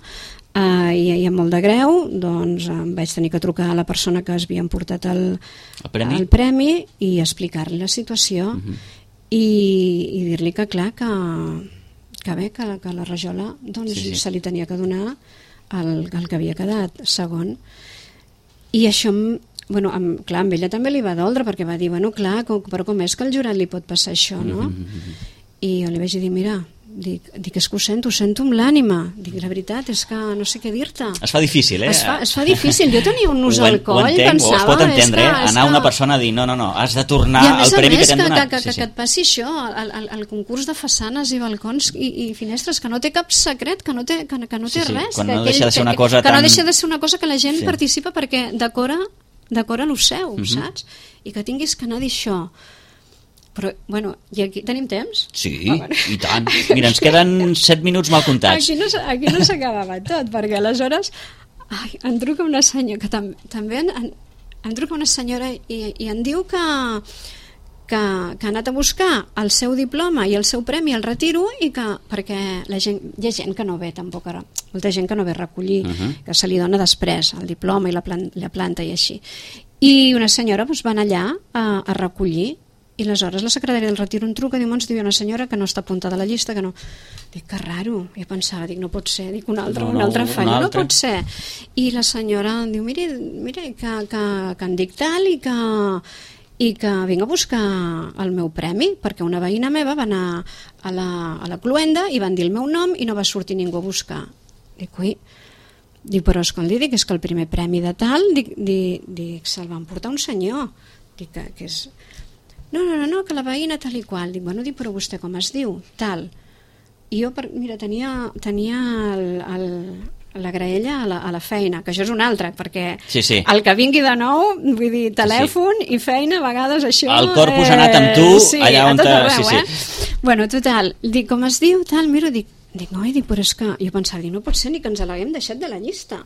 Speaker 3: Uh, i, i amb molt de greu, doncs em vaig tenir que trucar a la persona que es havia emportat el,
Speaker 2: el, premi?
Speaker 3: el premi i explicar-li la situació uh-huh. i, i dir-li que clar que, que bé, que, que la rajola doncs, sí, sí. se li tenia que donar el, el que havia quedat segon. I això bueno, amb, clar, amb ella també li va doldre perquè va dir, bueno clar, com, però com és que al jurat li pot passar això, no? Uh-huh. I jo li vaig dir, mira, Dic, dic, és que ho sento, ho sento amb l'ànima. Dic, la veritat és que no sé què dir-te.
Speaker 2: Es fa difícil, eh?
Speaker 3: Es fa, es fa difícil. Jo tenia un nus al coll,
Speaker 2: entenc,
Speaker 3: pensava...
Speaker 2: O es pot entendre,
Speaker 3: que,
Speaker 2: eh? Anar a una persona a dir, no, no, no, has de tornar al premi que t'hem donat.
Speaker 3: Que, que, sí, sí. que et passi això, el, el, el concurs de façanes i balcons i, i finestres, que no té cap secret, que no té, que, que no té sí, sí. res.
Speaker 2: Quan
Speaker 3: que
Speaker 2: no
Speaker 3: aquell,
Speaker 2: deixa de ser una
Speaker 3: que,
Speaker 2: cosa
Speaker 3: que
Speaker 2: tan...
Speaker 3: no deixa de ser una cosa que la gent sí. participa perquè decora, decora lo seu,
Speaker 2: uh-huh.
Speaker 3: saps? I que tinguis que anar a dir això. Però, bueno, i aquí tenim temps?
Speaker 2: Sí, ah, bueno. I tant. Mira, ens queden set minuts mal comptats.
Speaker 3: Aquí no, aquí no s'acabava tot, perquè aleshores ai, em truca una senyora, que tam, també en, en, em truca una senyora i, i em diu que, que, que ha anat a buscar el seu diploma i el seu premi al retiro i que, perquè la gent, hi ha gent que no ve tampoc ara, molta gent que no ve a recollir, uh-huh. que se li dona després el diploma i la, plan, la planta i així. I una senyora doncs, van allà a, a recollir. I aleshores la secretària del retiro em truca, diu, ens diu una senyora que no està apuntada a la llista, que no... Dic, que raro. I pensava, dic, no pot ser, dic, una altra, no, no, una altra falla, no pot ser. I la senyora em diu, mire, mire que, que, que em dic tal i que, i que vinc a buscar el meu premi, perquè una veïna meva va anar a la, a la cluenda i van dir el meu nom i no va sortir ningú a buscar. Dic, ui... Dic, però escolti, dic, és que el primer premi de tal, dic, dic, dic se'l va emportar un senyor. Dic, que, que és... No, no, no, no, que la veïna tal i qual. Dic, bueno, dic, però vostè com es diu? Tal. I jo, per, mira, tenia, tenia el, el, la graella a la, a la feina, que això és un altre, perquè
Speaker 2: sí, sí.
Speaker 3: el que vingui de nou, vull dir, telèfon sí, sí. i feina, a vegades això...
Speaker 2: El corpus ha anat amb tu,
Speaker 3: sí,
Speaker 2: allà on...
Speaker 3: A tot arreu,
Speaker 2: sí, sí.
Speaker 3: eh? Bueno, total, dic, com es diu? Tal, miro, dic, dic, no, dic, però és que... Jo pensava, dic, no pot ser ni que ens l'haguem deixat de la llista.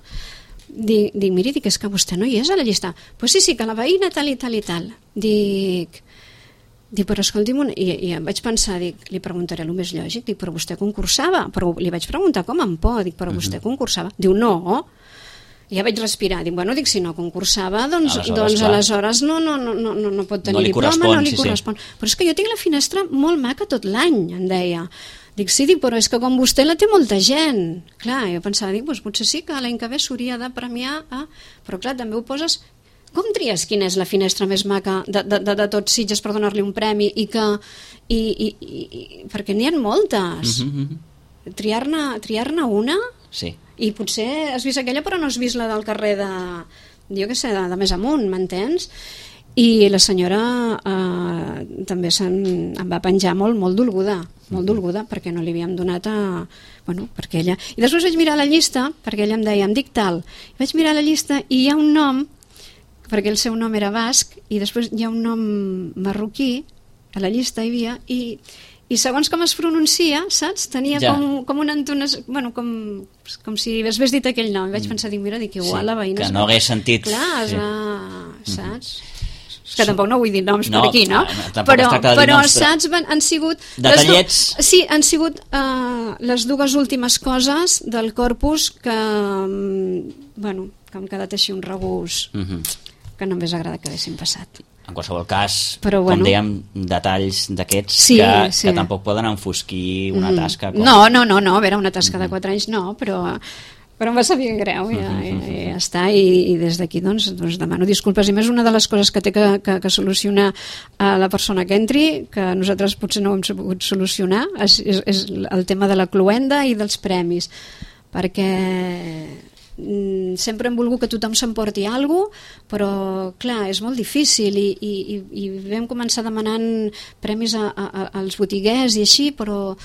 Speaker 3: Dic, dic, miri, dic, és que vostè no hi és a la llista. Pues sí, sí, que la veïna tal i tal i tal. Dic... Dic, però escolti'm, i, i em vaig pensar, dic, li preguntaré el més lògic, dic, però vostè concursava? Però li vaig preguntar com em pot, dic, però vostè concursava? Diu, no. I ja vaig respirar, dic, bueno, dic, si no concursava, doncs aleshores, doncs, aleshores no, no, no, no, no pot tenir no diploma, no li sí, correspon. Sí. Però és que jo tinc la finestra molt maca tot l'any, em deia. Dic, sí, dic, però és que com vostè la té molta gent. Clar, jo pensava, dic, doncs potser sí que l'any que ve s'hauria de premiar, eh? Però clar, també ho poses... Com tries quina és la finestra més maca de, de, de, de tots Sitges per donar-li un premi i que... I, i, i, perquè n'hi ha moltes. Mm-hmm. Triar-ne triar-ne una...
Speaker 2: Sí.
Speaker 3: I potser has vist aquella però no has vist la del carrer de... Jo què sé, de, de més amunt, m'entens? I la senyora eh, també se'n, em va penjar molt, molt dolguda, molt dolguda, perquè no li havíem donat a... Bueno, perquè ella... I després vaig mirar la llista, perquè ella em deia, em dic tal. I vaig mirar la llista i hi ha un nom, perquè el seu nom era basc, i després hi ha un nom marroquí, a la llista hi havia, i, i segons com es pronuncia, saps? Tenia ja. com, com una entonació, bueno, com, com si hagués dit aquell nom. I vaig pensar, dic, mira, dic, igual sí, la veïna...
Speaker 2: Que no hagués sentit...
Speaker 3: Clar, es
Speaker 2: sí.
Speaker 3: va... saps? Mm-hmm. És que tampoc no vull dir noms no, per aquí, no?
Speaker 2: no
Speaker 3: però, però
Speaker 2: noms,
Speaker 3: saps, van, han sigut...
Speaker 2: Detallets...
Speaker 3: Du... Sí, han sigut uh, les dues últimes coses del corpus que, um, bueno, que han quedat així un regús... Mm-hmm. que no m'hagués agradat que haguessin passat.
Speaker 2: en qualsevol cas,
Speaker 3: Però,
Speaker 2: com
Speaker 3: bueno,
Speaker 2: dèiem, detalls d'aquests
Speaker 3: sí,
Speaker 2: que,
Speaker 3: sí.
Speaker 2: que tampoc poden enfosquir una tasca. Com...
Speaker 3: No, no, no, no, a veure, una tasca de quatre anys no, però... però em va saber greu, ja, ja, ja està, i, i des d'aquí doncs, doncs demano disculpes, i més una de les coses que té que, que, que solucionar a la persona que entri, que nosaltres potser no ho hem sabut solucionar, és, és, és el tema de la cloenda i dels premis, perquè mm, sempre hem volgut que tothom s'emporti alguna cosa, però clar, és molt difícil, i, i, i vam començar demanant premis a, a, als botiguers i així, però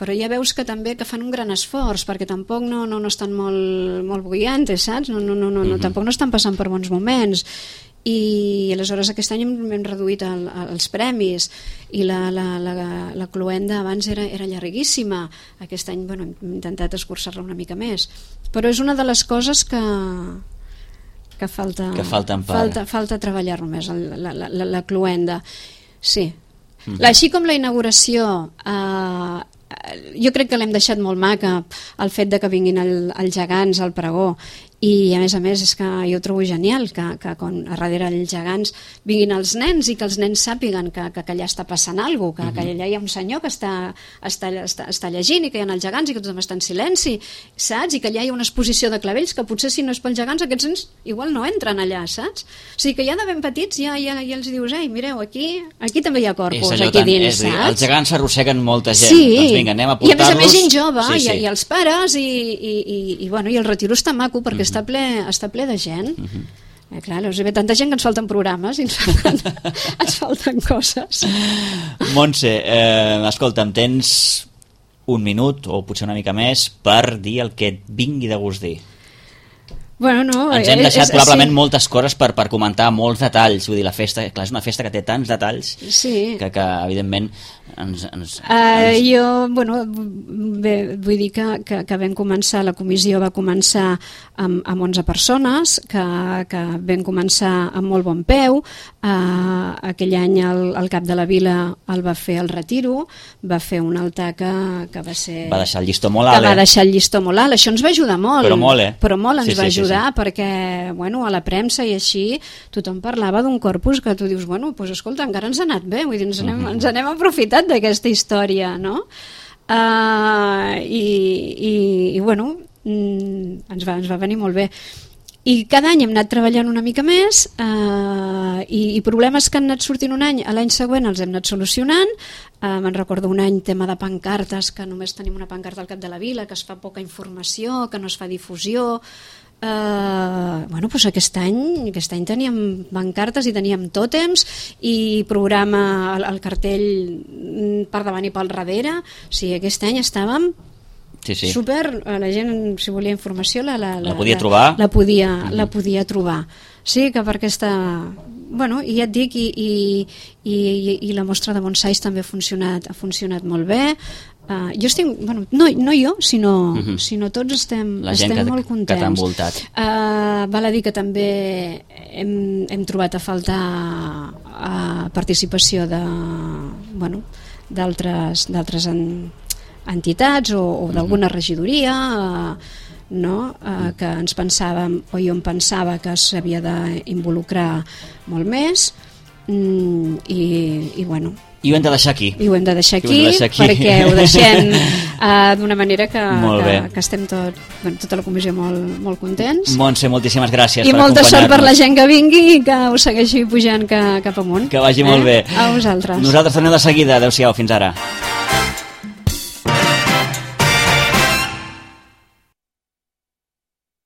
Speaker 3: però ja veus que també que fan un gran esforç, perquè tampoc no, no, no estan molt, molt bullantes, saps? No, no, no, no, no,
Speaker 2: Mm-hmm.
Speaker 3: tampoc no estan passant per bons moments, i aleshores aquest any hem, hem reduït el, els premis, i la, la, la, la cloenda abans era, era llarguíssima, aquest any bueno, hem intentat escurçar-la una mica més, però és una de les coses que que falta,
Speaker 2: que falten per...
Speaker 3: falta, falta treballar-lo més, la, la, la, la cloenda, sí.
Speaker 2: Mm.
Speaker 3: Així com la inauguració, eh, jo crec que l'hem deixat molt maca, el fet de que vinguin el, els gegants al pregó, i a més a més és que jo ho trobo genial que, que quan a darrere els gegants vinguin els nens i que els nens sàpiguen que, que, que allà està passant alguna cosa, que, que allà hi ha un senyor que està, està, està, està llegint, i que hi ha els gegants i que tothom està en silenci, saps? I que allà hi ha una exposició de clavells que potser si no és pels gegants aquests nens igual no entren allà, saps? O sigui que ja de ben petits ja, ja, ja els dius, ei, mireu, aquí, aquí també hi ha corpus, aquí
Speaker 2: tan,
Speaker 3: dins,
Speaker 2: és dir,
Speaker 3: saps?
Speaker 2: els gegants s'arrosseguen molta gent,
Speaker 3: sí.
Speaker 2: Doncs vinga, anem a
Speaker 3: portar-los. I a més a més gent jove,
Speaker 2: sí, sí.
Speaker 3: I, i els pares, i, i, i, i, bueno, i el retiro està maco perquè mm-hmm. està, ple, està ple de gent. Mm-hmm. Eh, clar, us ve tanta gent que ens falten programes i ens falten, ens falten coses.
Speaker 2: Montse, eh, escolta'm, tens un minut o potser una mica més per dir el que et vingui de gust dir.
Speaker 3: Bueno, no,
Speaker 2: ens hem deixat
Speaker 3: és,
Speaker 2: probablement
Speaker 3: sí.
Speaker 2: moltes coses per, per comentar, molts detalls, vull dir, la festa, clar, és una festa que té tants detalls
Speaker 3: sí.
Speaker 2: que, que evidentment ens... ens,
Speaker 3: uh,
Speaker 2: ens...
Speaker 3: Jo, bueno, bé, vull dir que, que, que vam començar, la comissió va començar amb, amb onze persones, que, que vam començar amb molt bon peu, uh, aquell any el, el cap de la vila el va fer el retiro, va fer un altar que, que va ser...
Speaker 2: Va deixar el llistó molt alt,
Speaker 3: que va deixar el llistó molt alt, això ens va ajudar molt.
Speaker 2: Però molt, eh?
Speaker 3: Però molt ens
Speaker 2: sí,
Speaker 3: va
Speaker 2: sí,
Speaker 3: ajudar,
Speaker 2: sí, sí.
Speaker 3: perquè, bueno, a la premsa i així, tothom parlava d'un corpus que tu dius, bueno, doncs escolta, encara ens ha anat bé, vull dir, ens n'hem uh-huh. ens n'hem aprofitat d'aquesta història, no? Uh, i, i, i, bueno, mm, ens, va, ens va venir molt bé. I cada any hem anat treballant una mica més, uh, i, i problemes que han anat sortint un any, a l'any següent els hem anat solucionant. Uh, me'n recordo un any tema de pancartes, que només tenim una pancarta al cap de la vila, que es fa poca informació, que no es fa difusió. Uh, bueno, doncs aquest any, aquest any teníem pancartes i teníem tòtems i programa el, el cartell per davant i pel darrere. O sigui, aquest any estàvem
Speaker 2: sí, sí.
Speaker 3: super, la gent, si volia informació la, la, la,
Speaker 2: la podia trobar
Speaker 3: la, la, podia, mm-hmm. la podia trobar, sí, que per aquesta, bueno, i ja et dic, i, i, i, i la mostra de bonsais també ha funcionat, ha funcionat molt bé. Uh, jo estic, bueno, no, no jo, sinó, uh-huh. sinó tots estem, estem
Speaker 2: que,
Speaker 3: molt contents.
Speaker 2: Que t'ha envoltat.
Speaker 3: Uh, val a dir que també hem, hem trobat a faltar uh, participació de, bueno, d'altres d'altres en, entitats o, o d'alguna uh-huh. regidoria, uh, no? uh, que ens pensàvem, o jo em pensava que s'havia d'involucrar molt més, mm, i, i bueno,
Speaker 2: i ho hem de deixar aquí.
Speaker 3: I ho hem de deixar aquí,
Speaker 2: de deixar aquí.
Speaker 3: perquè ho deixem uh, d'una manera que, que, que estem tot, bueno, tota la comissió molt, molt contents.
Speaker 2: Montse, moltíssimes gràcies
Speaker 3: I
Speaker 2: per
Speaker 3: molta
Speaker 2: acompanyar-nos.
Speaker 3: sort per la gent que vingui i que us segueixi pujant que, cap amunt.
Speaker 2: Que vagi
Speaker 3: eh?
Speaker 2: molt bé.
Speaker 3: A vosaltres.
Speaker 2: Nosaltres tornem de seguida. Adéu-siau, fins ara.